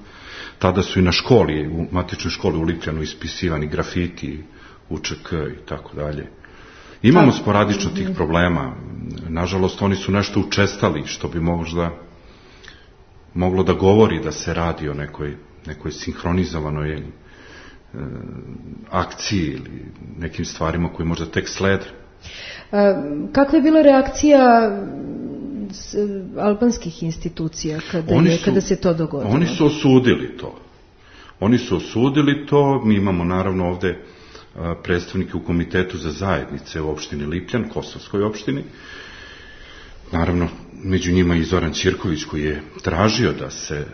Tada su i na školi, u matičnoj školi u Lipljanu ispisivani grafiti, UČK i tako dalje. Imamo sporadično tih problema. Nažalost, oni su nešto učestali, što bi moglo da govori da se radi o nekoj sinhronizovanoj akciji ili nekim stvarima koji možda tek slede. Kakva je bila reakcija albanskih institucija kada se to dogodilo? Oni su osudili to. Mi imamo naravno ovde predstavnike u Komitetu za zajednice u opštini Lipljan, Kosovskoj opštini. Naravno, među njima i Zoran Ćirković koji je tražio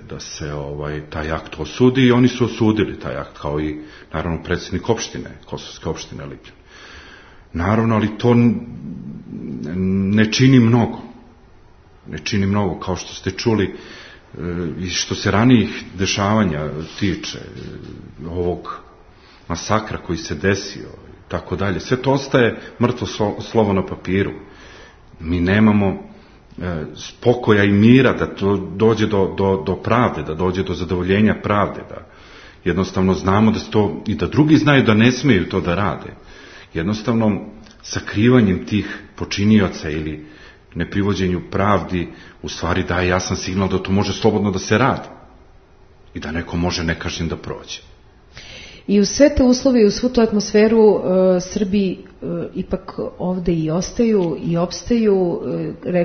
da se taj akt osudi i oni su osudili taj akt, kao i naravno predsjednik opštine, Kosovske opštine Lipljan. Naravno, ali to ne čini mnogo. Kao što ste čuli, i što se ranijih dešavanja tiče, ovog masakra koji se desio i tako dalje, sve to ostaje mrtvo slovo na papiru. Mi nemamo spokoja i mira da to dođe do pravde, da dođe do zadovoljenja pravde, da jednostavno znamo da to i da drugi znaju da ne smeju to da rade. Jednostavno sakrivanjem tih počinioca ili neprivođenju pravdi u stvari daje jasan signal da to može slobodno da se radi i da neko može nekažnjen da prođe. I u sve te uslove i u svu tu atmosferu Srbi ipak ovde i ostaju i opstaju.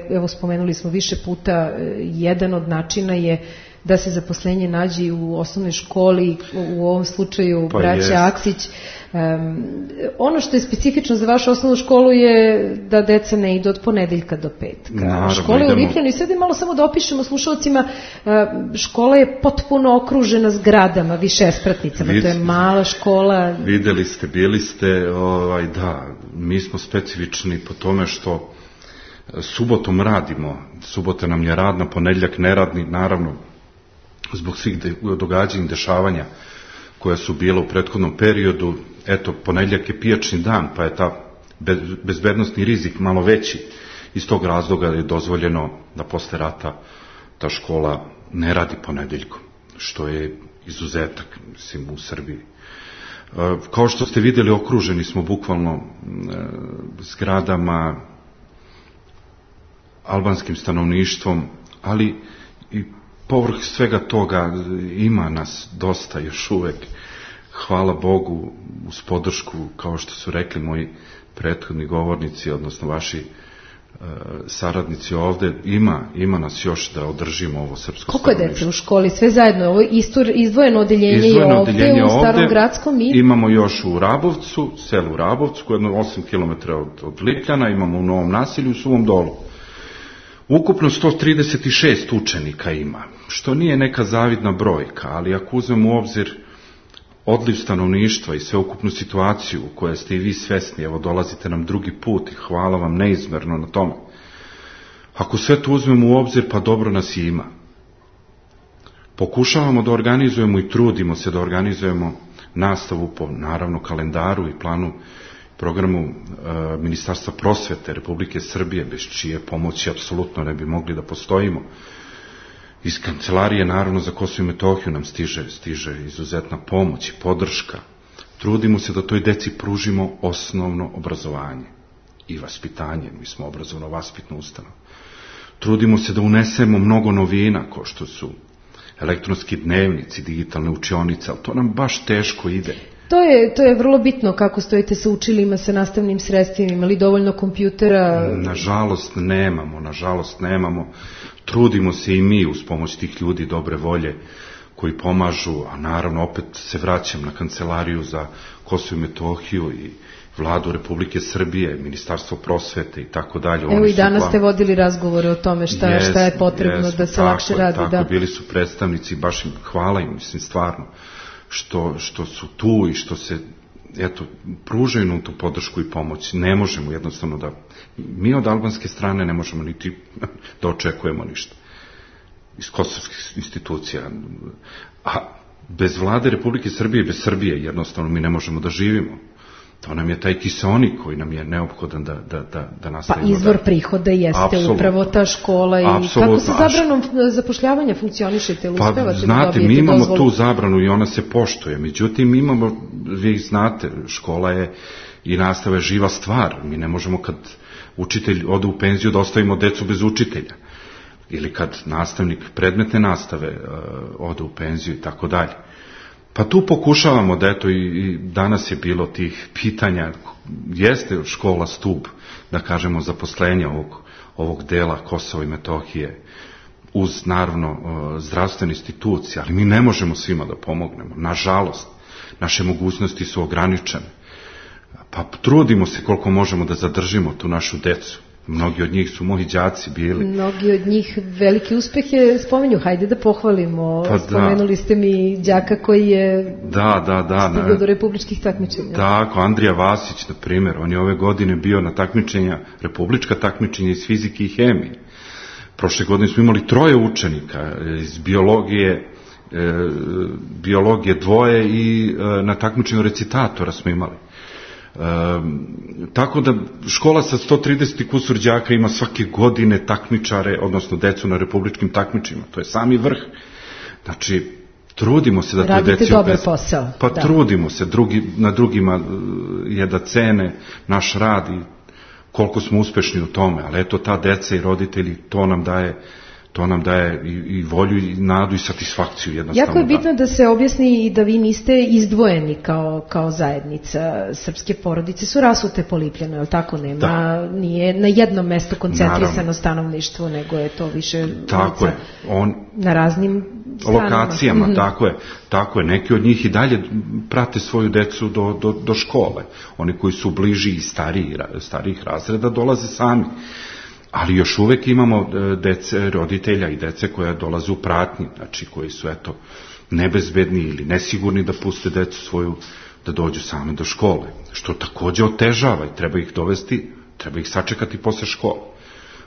Evo, spomenuli smo više puta, jedan od načina je da se zaposlenje nađe u osnovnoj školi, u ovom slučaju braća Aksić. Ono što je specifično za vašu osnovnu školu je da deca ne idu od ponedeljka do petka. Škola je u Lipljanu i sad je malo samo da opišemo slušalcima, škola je potpuno okružena zgradama, višespratnicama, to je mala škola. Videli ste, bili ste, da, mi smo specifični po tome što subotom radimo, subota nam je radna, ponedeljak neradni, naravno, zbog svih događanja i dešavanja koja su bila u prethodnom periodu. Eto, ponedeljak je pijačni dan, pa je ta bezbednostni rizik malo veći. Iz tog razloga je dozvoljeno da posle rata ta škola ne radi ponedeljkom, što je izuzetak, mislim, u Srbiji. Kao što ste vidjeli, okruženi smo bukvalno zgradama, albanskim stanovništvom, ali i povrh svega toga ima nas dosta još uvek. Hvala Bogu, uz podršku, kao što su rekli moji prethodni govornici, odnosno vaši saradnici ovde, ima nas još da održimo ovo srpsko stanovništvo. Koliko je dece u školi? Sve zajedno? Ovo izdvojeno odeljenje je ovde u Starom Gradskom? Imamo još u Rabovcu, selu Rabovcu, koje je 8 km od Lipljana, imamo u Novom Nasilju, u Suvom Dolu. Ukupno 136 učenika ima, što nije neka zavidna brojka, ali ako uzmemo u obzir odliv stanovništva i sveukupnu situaciju u kojoj ste i vi svesni, evo dolazite nam drugi put i hvala vam neizmerno na tome. Ako sve to uzmemo u obzir, pa dobro nas i ima. Pokušavamo da organizujemo i trudimo se da organizujemo nastavu po, naravno, kalendaru i planu programu Ministarstva prosvete Republike Srbije, bez čije pomoći apsolutno ne bi mogli da postojimo. Iz Kancelarije Narodno za Kosovo i Metohiju nam stiže izuzetna pomoć i podrška. Trudimo se da toj deci pružimo osnovno obrazovanje i vaspitanje. Mi smo obrazovno-vaspitna ustanova. Trudimo se da unesemo mnogo novina, kao što su elektronski dnevnici, digitalne učionice, ali to nam baš teško ide. To je vrlo bitno kako stojite sa učilima, sa nastavnim sredstvima, ima li dovoljno kompjutera? Nažalost nemamo. Trudimo se i mi uz pomoć tih ljudi dobre volje koji pomažu, a naravno opet se vraćam na Kancelariju za Kosovo i Metohiju i Vladu Republike Srbije, Ministarstvo prosvete i tako dalje. Evo i danas ste vodili razgovore o tome šta je potrebno da se lakše radi. Tako, bili su predstavnici, baš im hvala im, mislim, stvarno, što su tu i što se, eto, pružaju nam tu podršku i pomoć. Ne možemo jednostavno da, mi od albanske strane ne možemo niti da očekujemo ništa iz kosovskih institucija. A bez vlade Republike Srbije, bez Srbije, jednostavno mi ne možemo da živimo. To nam je taj kiseonik koji nam je neophodan da nastavimo. Pa izvor prihoda jeste upravo ta škola. I kako sa zabranom zapošljavanja funkcionišete? Pa znate, mi imamo tu zabranu i ona se poštuje. Međutim, imamo, vi znate, škola je i nastava je živa stvar. Mi ne možemo kad učitelj ode u penziju da ostavimo decu bez učitelja. Ili kad nastavnik predmetne nastave ode u penziju i tako dalje. Pa tu pokušavamo da, eto, i danas je bilo tih pitanja, jeste škola stub, da kažemo, zaposlenja ovog dela Kosova i Metohije, uz, naravno, zdravstvene institucije, ali mi ne možemo svima da pomognemo. Nažalost, naše mogućnosti su ograničene. Pa trudimo se koliko možemo da zadržimo tu našu decu. Mnogi od njih su moji đaci bili. Mnogi od njih veliki uspeh je, spomenju, hajde da pohvalimo. Pa spomenuli ste mi đaka koji je stigao do republičkih takmičenja. Tako, Andrija Vasić, na primjer, on je ove godine bio na takmičenja, republička takmičenja iz fizike i hemije. Prošle godine smo imali 3 učenika iz biologije 2 i na takmičenju recitatora smo imali. Tako da škola sa 130 kusur đaka ima svake godine takmičare, odnosno decu na republičkim takmičima. To je sami vrh. Znači, trudimo se da te deci... Radite dobar posao. Pa da. Trudimo se, na drugima je da cene naš rad i koliko smo uspešni u tome, ali eto ta deca i roditelji, to nam daje i volju i nadu i satisfakciju jednostavno. Jako je bitno da se objasni i da vi niste izdvojeni kao zajednica. Srpske porodice su rasute po Lipljanu, je li tako? Nije na jednom mestu koncentrisano stanovništvo, nego je to više na raznim lokacijama, tako je. Neki od njih i dalje prate svoju decu do škole. Oni koji su bliži i starijih razreda dolaze sami. Ali još uvek imamo roditelja i dece koja dolaze u pratnji, znači koji su nebezbedni ili nesigurni da puste decu svoju da dođu sami do škole, što takođe otežava i treba ih dovesti, treba ih sačekati posle škole.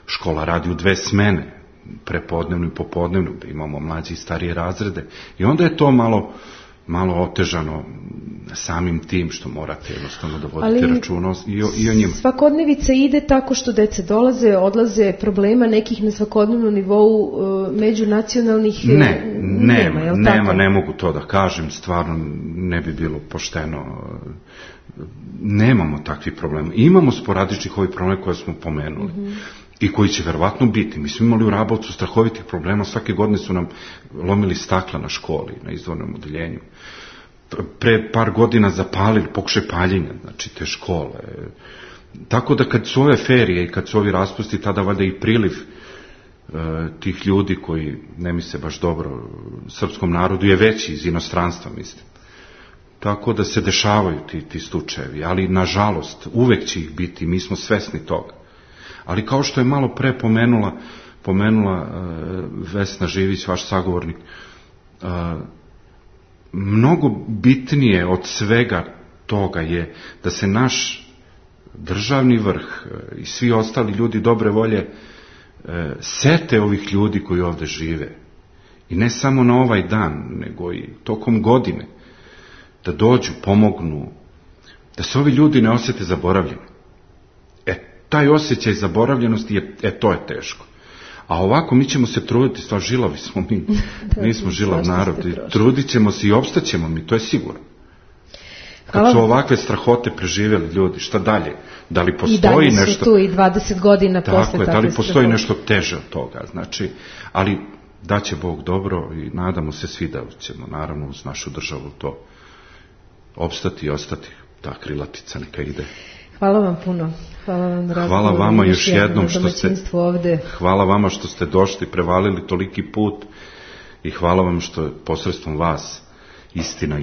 Škola radi u 2 smene, prepodnevnu i popodnevnu, da imamo mlađe i starije razrede i onda je to malo otežano samim tim što morate jednostavno da vodite računa i o njima. Svakodnevica ide tako što deca dolaze, odlaze, problema nekih na svakodnevnom nivou međunacionalnih nema, ne mogu to da kažem, stvarno ne bi bilo pošteno. Nemamo takvih problema. Imamo sporadičnih ovih problema koje smo pomenuli. I koji će verovatno biti. Mi smo imali u Rabovcu strahovitih problema, svake godine su nam lomili stakla na školi, na izdvojnom odeljenju. Pre par godina zapalili, pokušaj paljenja, znači te škole. Tako da kad su ove ferije i kad su ovi raspusti, tada valjda i priliv tih ljudi koji ne misle baš dobro srpskom narodu je veći iz inostranstva, mislim. Tako da se dešavaju ti slučajevi, ali nažalost uvek će ih biti, mi smo svesni toga. Ali kao što je malo pre pomenula Vesna Živić, vaš sagovornik, mnogo bitnije od svega toga je da se naš državni vrh i svi ostali ljudi dobre volje sete ovih ljudi koji ovde žive. I ne samo na ovaj dan, nego i tokom godine. Da dođu, pomognu, da se ovi ljudi ne osjete zaboravljeni. Taj osjećaj zaboravljenosti, to je teško. A ovako mi ćemo se truditi, stvar žilavi smo mi, mi smo žilav narod, trudit ćemo se i opstaćemo mi, to je sigurno. Kad su ovakve strahote preživjeli ljudi, šta dalje? Da li postoji nešto... I dalje su tu i 20 godina posle takve strahote. Da li postoji nešto teže od toga, znači, ali daće Bog dobro i nadamo se svi da ćemo, naravno, uz našu državu to opstati i ostati, ta krilatica neka ide. Hvala vam puno. Hvala vama još jednom hvala vama što ste došli, prevalili toliki put i hvala vam što posredstvom vas istina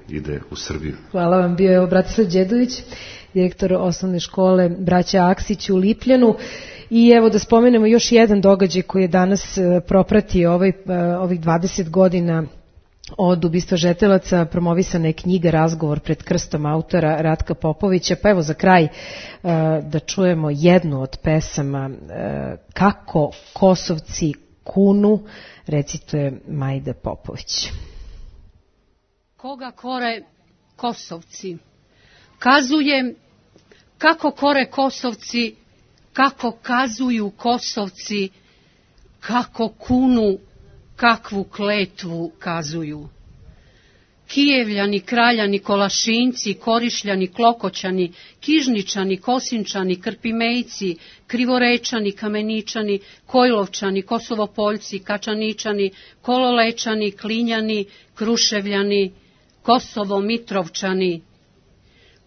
ide u Srbiju. Hvala vam, bio je Bratislav Đedović, direktor osnovne škole Braća Aksić u Lipljanu. I evo da spomenemo još jedan događaj koji je danas propratio ovih 20 godina od ubistva žetelaca. Promovisana je knjiga Razgovor pred krstom autora Ratka Popovića. Pa evo za kraj da čujemo jednu od pesama Kako Kosovci kunu, recituje Majda Popović. Koga kore Kosovci? Kazujem kako kore Kosovci, kako kazuju Kosovci, kako kunu, kakvu kletvu kazuju. Kijevljani, kraljani, kolašinci, korišljani, klokoćani, kižničani, kosinčani, krpimejci, krivorečani, kameničani, kojlovčani, kosovopoljci, kačaničani, kololečani, klinjani, kruševljani, kosovo-mitrovčani.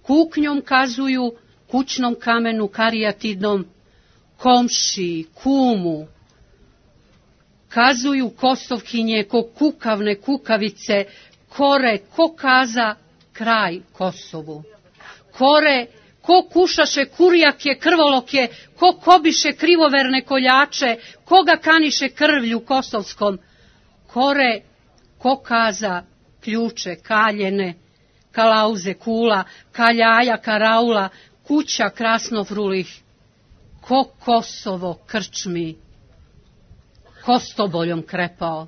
Kuknjom kazuju, kućnom kamenu, karijatidnom, komši, kumu. Kazuju Kosovkinje ko kukavne kukavice, kore ko kaza kraj Kosovu. Kore ko kušaše kurjake, krvolokje, ko kobiše krivoverne koljače, koga kaniše krvlju kosovskom. Kore ko kaza ključe kaljene, kalauze kula, kaljaja karaula, kuća krasnofrulih. Ko Kosovo krčmi. Kostoboljom krepao.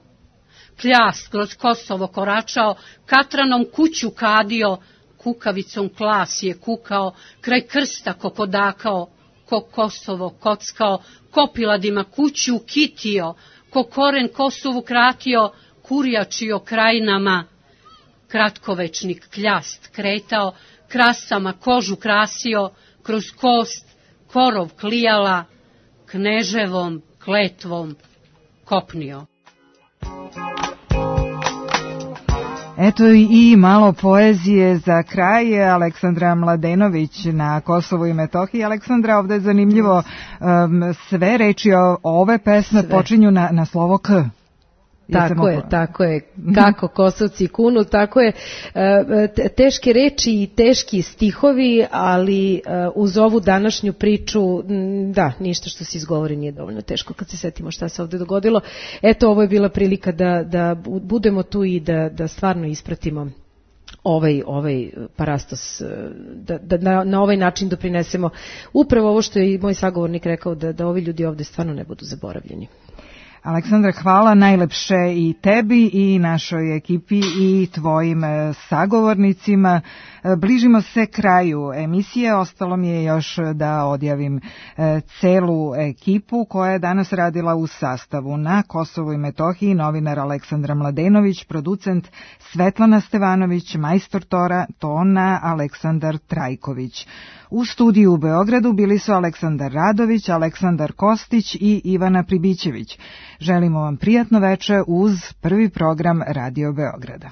Kljast kroz Kosovo koračao, katranom kuću kadio, kukavicom klas je kukao, kraj krsta kokodakao, ko Kosovo kockao, kopiladima kuću kitio, ko koren Kosovu kratio, kurjačio krajinama. Kratkovečnik kljast kretao, krasama kožu krasio, kroz kost korov klijala, kneževom kletvom kopnio. Eto i malo poezije za kraj. Aleksandra Mladenović na Kosovu i Metohiji. Aleksandra, ovde je zanimljivo, sve reči ove pesme počinju na slovo K. Tako je. Kako Kosovci kunu, tako je. Teške reči i teški stihovi, ali uz ovu današnju priču, da, ništa što se izgovori nije dovoljno teško kad se setimo šta se ovde dogodilo. Eto, ovo je bila prilika da budemo tu i da stvarno ispratimo ovaj parastos, da na ovaj način doprinesemo upravo ovo što je i moj sagovornik rekao, da ovi ljudi ovde stvarno ne budu zaboravljeni. Aleksandra, hvala najlepše i tebi i našoj ekipi i tvojim sagovornicima. Bližimo se kraju emisije, ostalo mi je još da odjavim celu ekipu koja je danas radila u sastavu. Na Kosovu i Metohiji novinar Aleksandra Mladenović, producent Svetlana Stevanović, majstor tona Aleksandar Trajković. U studiju u Beogradu bili su Aleksandar Radović, Aleksandar Kostić i Ivana Pribićević. Želimo vam prijatno veče uz prvi program Radio Beograda.